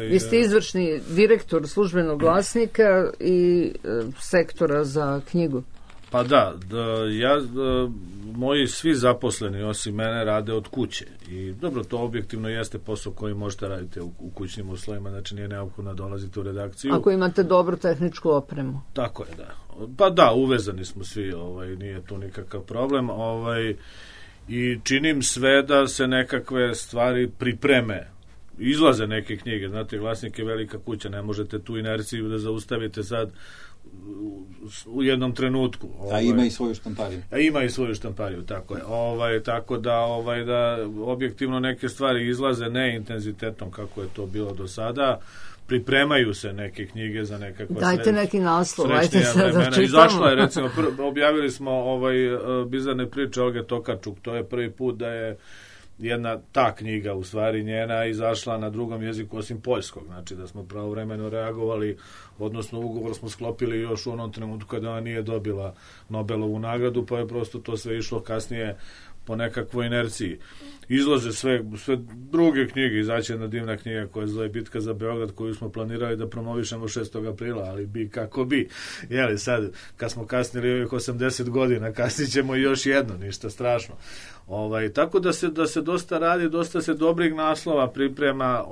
Vi ste izvršni direktor Službenog glasnika i sektora za knjigu. Pa moji svi zaposleni osim mene rade od kuće i dobro, to objektivno jeste posao koji možete raditi u kućnim uslovima, znači nije neophodno dolaziti u redakciju. Ako imate dobru tehničku opremu. Tako je, da. Pa da, uvezani smo svi, nije tu nikakav problem, i činim sve da se nekakve stvari pripreme. Izlaze neke knjige, znate, Glasnik je velika kuća, ne možete tu inerciju da zaustavite sad u jednom trenutku. A ima i svoju štampariju. Ima i svoju štampariju, tako je. Tako da objektivno neke stvari izlaze ne intenzitetom kako je to bilo do sada. Pripremaju se neke knjige za nekakva dajte neki naslov, ajte se da čitamo. Izašla je, recimo, objavili smo Bizarne priče Olge Tokarčuk, to je prvi put da je jedna ta knjiga, u stvari njena, izašla na drugom jeziku osim poljskog, znači da smo pravovremeno reagovali, odnosno ugovor smo sklopili još u onom trenutku kada ona nije dobila Nobelovu nagradu, pa je prosto to sve išlo kasnije po nekakvoj inerciji. Izlaze sve druge knjige, izaći jedna divna knjiga koja se zove Bitka za Beograd, koju smo planirali da promovišemo 6. aprila, ali bi kako bi. Jeli, sad, kad smo kasnili ovih 80 godina, kasnit ćemo još jedno, ništa strašno. Tako da se dosta radi, dosta se dobrih naslova priprema,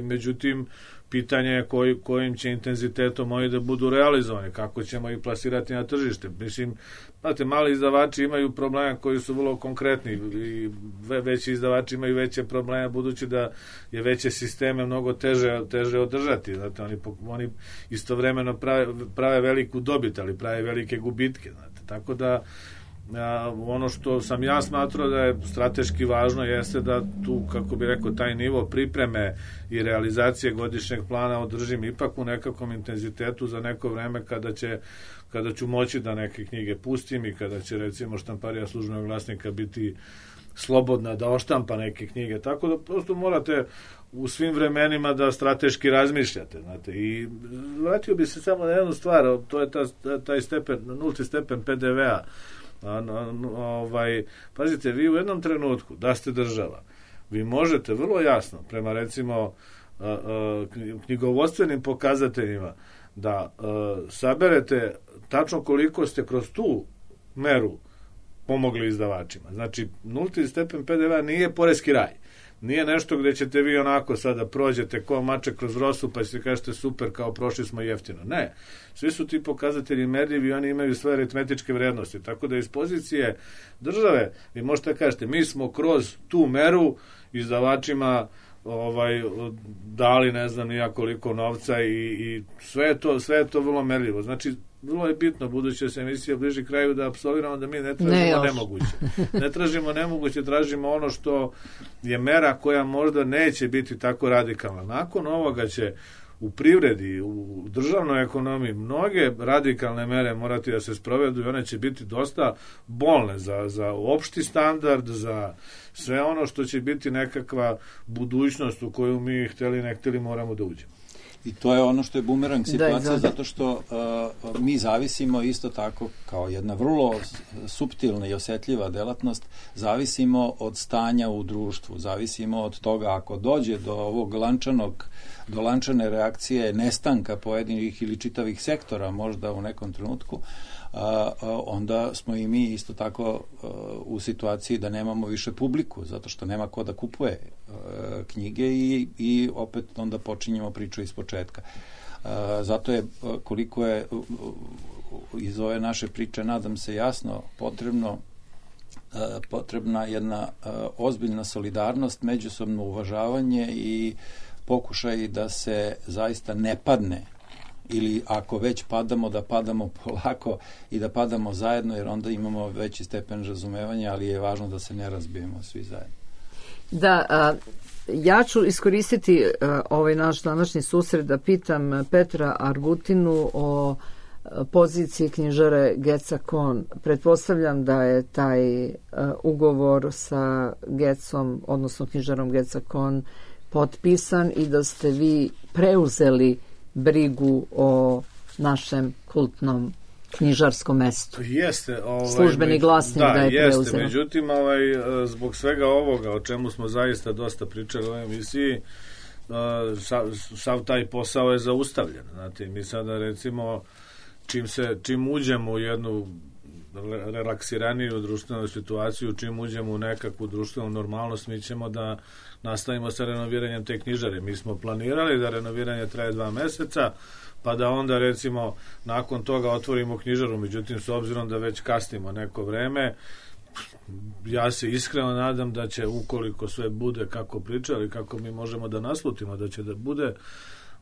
međutim, pitanje je kojim će intenzitetom oni da budu realizovani, kako ćemo ih plasirati na tržište. Mislim, znate, mali izdavači imaju probleme koji su vrlo konkretni i veći izdavači imaju veće probleme budući da je veće sisteme mnogo teže održati. Znate, oni istovremeno prave veliku dobit, ali prave velike gubitke. Znate. Tako da ono što sam ja smatrao da je strateški važno jeste da tu, kako bi rekao, taj nivo pripreme i realizacije godišnjeg plana održim ipak u nekakvom intenzitetu za neko vreme kada ću moći da neke knjige pustim i kada će, recimo, štamparija Službenog glasnika biti slobodna da oštampa neke knjige. Tako da prosto morate u svim vremenima da strateški razmišljate, znate. I vratio bi se samo na jednu stvar, to je taj stepen, nulti stepen PDV-a. Pazite, vi u jednom trenutku, da ste država, vi možete vrlo jasno, prema recimo knjigovodstvenim pokazateljima, da saberete tačno koliko ste kroz tu meru pomogli izdavačima. Znači, nulti stepen PDV nije poreski raj. Nije nešto gde ćete vi onako sada prođete ko mačak kroz rosu pa ćete kažete super, kao prošli smo jeftino. Ne. Svi su ti pokazatelji merljivi i oni imaju svoje aritmetičke vrednosti. Tako da iz pozicije države vi možete kažete mi smo kroz tu meru izdavačima dali ne znam nija koliko novca i sve je to vrlo merljivo. Znači, vrlo je bitno, budući da se emisija bliži kraju, da apsolviramo da mi ne tražimo nemoguće. Ne tražimo nemoguće, tražimo ono što je mera koja možda neće biti tako radikalna. Nakon ovoga će u privredi, u državnoj ekonomiji mnoge radikalne mere morati da se sprovedu i one će biti dosta bolne za opšti standard, za sve ono što će biti nekakva budućnost u koju mi hteli ne hteli moramo da uđemo. I to je ono što je bumerang situacija, zato što mi zavisimo isto tako kao jedna vrlo suptilna i osjetljiva delatnost, zavisimo od stanja u društvu, zavisimo od toga ako dođe do ovog do lančane reakcije nestanka pojedinih ili čitavih sektora možda u nekom trenutku, onda smo i mi isto tako u situaciji da nemamo više publiku, zato što nema ko da kupuje knjige i opet onda počinjemo priču iz početka. Zato je, koliko je iz ove naše priče, nadam se jasno, potrebna jedna ozbiljna solidarnost, međusobno uvažavanje i pokušaj da se zaista ne padne, ili ako već padamo, da padamo polako i da padamo zajedno, jer onda imamo veći stepen razumevanja, ali je važno da se ne razbijemo svi zajedno. Da, ja ću iskoristiti ovaj naš današnji susret da pitam Petra Argutinu o poziciji knjižare Geca Kon. Pretpostavljam da je taj ugovor sa Gecom, odnosno knjižarom Geca Kon, potpisan i da ste vi preuzeli brigu o našem kultnom knjižarskom mestu. Jeste. Službeni glasnik da je jeste, preuzeo. Međutim, zbog svega ovoga, o čemu smo zaista dosta pričali u ovoj emisiji, sav taj posao je zaustavljen. Znate, mi sada recimo, čim uđemo u jednu relaksiraniju društvenu situaciju, čim uđemo u nekakvu društvenu normalnost, mi ćemo da nastavimo sa renoviranjem te knjižare. Mi smo planirali da renoviranje traje 2 meseca, pa da onda recimo nakon toga otvorimo knjižaru, međutim s obzirom da već kasnimo neko vreme, ja se iskreno nadam da će, ukoliko sve bude kako pričali, kako mi možemo da naslutimo da će da bude,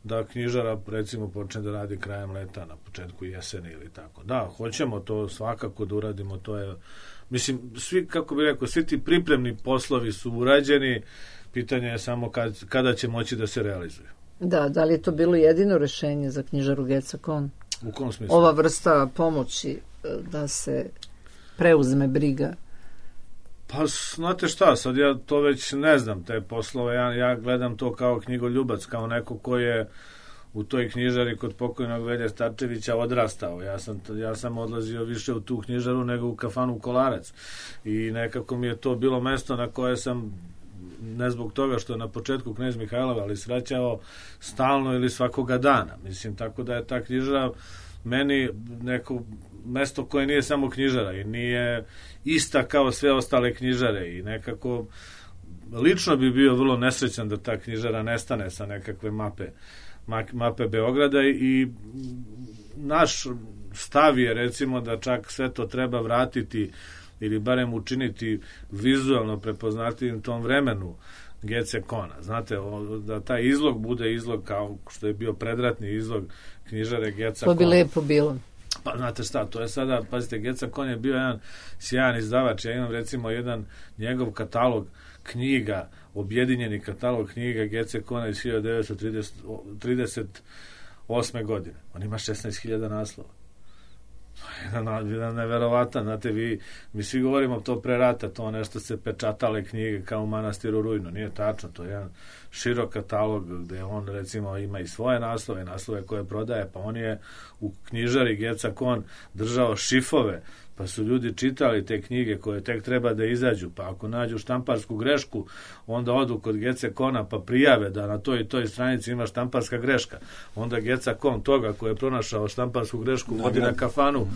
da knjižara recimo počne da radi krajem leta, na početku jeseni ili tako. Da, hoćemo to svakako da uradimo, to je, mislim, svi, kako bih rekao, svi ti pripremni poslovi su urađeni, pitanje je samo kada će moći da se realizuju. Da li je to bilo jedino rešenje za knjižaru Geca Kon? U kom smislu? Ova vrsta pomoći da se preuzme briga? Pa, znate šta, sad ja to već ne znam, te poslove, ja gledam to kao knjigoljubac, kao neko ko je u toj knjižari kod pokojnog Velje Starčevića odrastao. Ja sam odlazio više u tu knjižaru nego u kafanu Kolarac. I nekako mi je to bilo mesto na koje sam, ne zbog toga što je na početku knez Mihajlov, ali srećao stalno ili svakoga dana. Mislim, tako da je ta knjižara meni neko mesto koje nije samo knjižara i nije ista kao sve ostale knjižare i nekako lično bi bio vrlo nesrećan da ta knjižara nestane sa nekakve mape Beograda i naš stav je recimo da čak sve to treba vratiti ili barem učiniti vizualno prepoznatljivim tom vremenu Gece Kona. Znate, da taj izlog bude izlog kao što je bio predratni izlog knjižare Geca Kona. To bi lepo bilo. Pa znate šta, to je sada, pazite, Geca Kon je bio jedan sjajan izdavač. Ja imam recimo jedan njegov katalog knjiga, objedinjeni katalog knjiga Gece Kona iz 1938. godine. On ima 16.000 naslova. Jedan neverovatan, znate, mi svi govorimo to pre rata, to nešto se pečatale knjige kao u manastiru Rujno, nije tačno, to je jedan širok katalog gde on recimo ima i svoje naslove koje prodaje, pa on je u knjižari Geca Kon držao šifove pa su ljudi čitali te knjige koje tek treba da izađu, pa ako nađu štamparsku grešku, onda odu kod Gece.com pa prijave da na toj i toj stranici ima štamparska greška. Onda Geca.com toga ko je pronašao štamparsku grešku vodi na kafanu,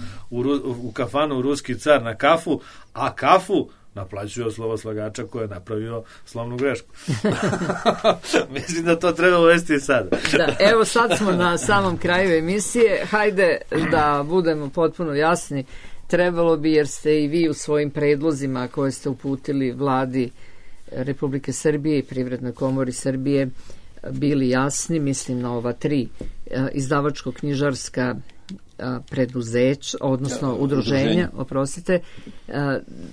u kafanu Ruski car na kafu, a kafu naplaćuje od slovoslagača koji je napravio slovnu grešku. Mislim da to treba uvesti sad. Da, evo sad smo na samom kraju emisije. Hajde da budemo potpuno jasni. Trebalo bi, jer ste i vi u svojim predlozima koje ste uputili vladi Republike Srbije i Privrednoj komori Srbije bili jasni, mislim na ova 3 izdavačko-knjižarska preduzeća, odnosno udruženja, oprostite.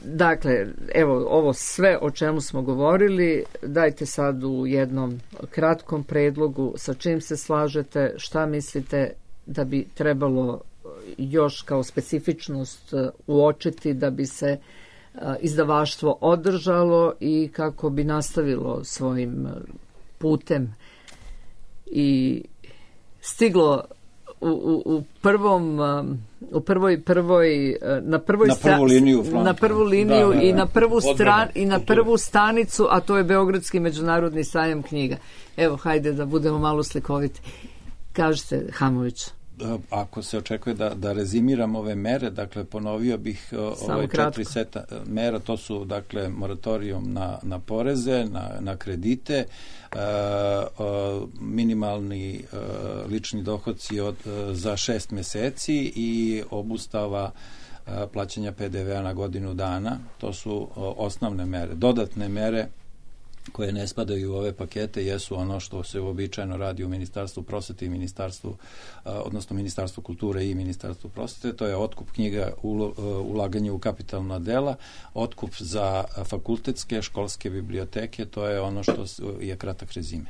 Dakle, evo ovo sve o čemu smo govorili, dajte sad u jednom kratkom predlogu sa čim se slažete, šta mislite da bi trebalo još kao specifičnost uočiti da bi se izdavaštvo održalo i kako bi nastavilo svojim putem i stiglo na prvu liniju i na prvu stanicu, a to je Beogradski međunarodni sajam knjiga. Evo, hajde da budemo malo slikoviti. Kažete, Hamović. Ako se očekuje da rezimiram ove mere, dakle ponovio bih ove 4 seta mera, to su dakle moratorijum na poreze, na kredite, minimalni lični dohodci za 6 meseci i obustava plaćanja PDV-a na godinu dana. To su osnovne mere. Dodatne mere koje ne spadaju u ove pakete jesu ono što se uobičajeno radi u Ministarstvu prosvete i odnosno Ministarstvu kulture i Ministarstvu prosvete. To je otkup knjiga, ulaganje u kapitalna dela, otkup za fakultetske, školske biblioteke, to je ono što je kratak rezime.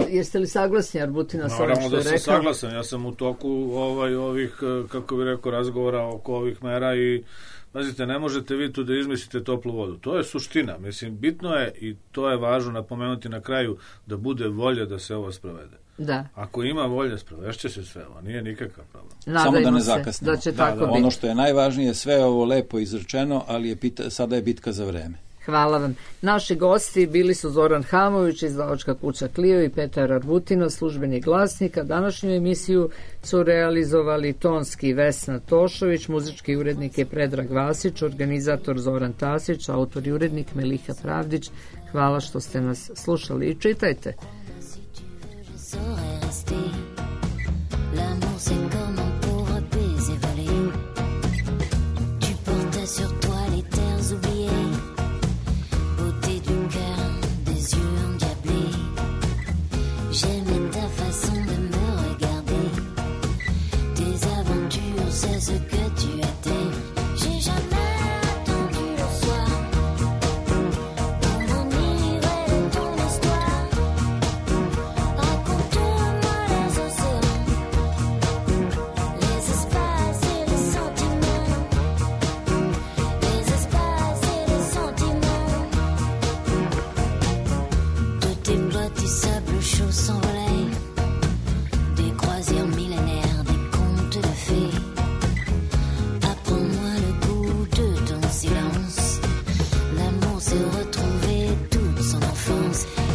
Jeste li saglasni, Arbutina, sa ovim što je rekao? Naravno da sam saglasan. Ja sam u toku ovih, kako bih rekao, razgovora oko ovih mera i pazite, ne možete vi tu da izmislite toplu vodu. To je suština. Mislim, bitno je i to je važno napomenuti na kraju da bude volja da se ovo sprovede. Da. Ako ima volja, sprovešće se sve ovo. Nije nikakav problem. Samo da ne zakasnimo. Da će tako biti. Ono što je najvažnije, sve je ovo lepo izrečeno, ali sada je bitka za vreme. Hvala vam. Naši gosti bili su Zoran Hamović, izdavačka kuća Clio, i Petar Arbutina, službenik Glasnika. Današnju emisiju su realizovali tonski Vesna Tošović, muzički urednik je Predrag Vasić, organizator Zoran Tasić, autor i urednik Meliha Pravdić. Hvala što ste nas slušali i čitajte.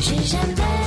J'ai jamais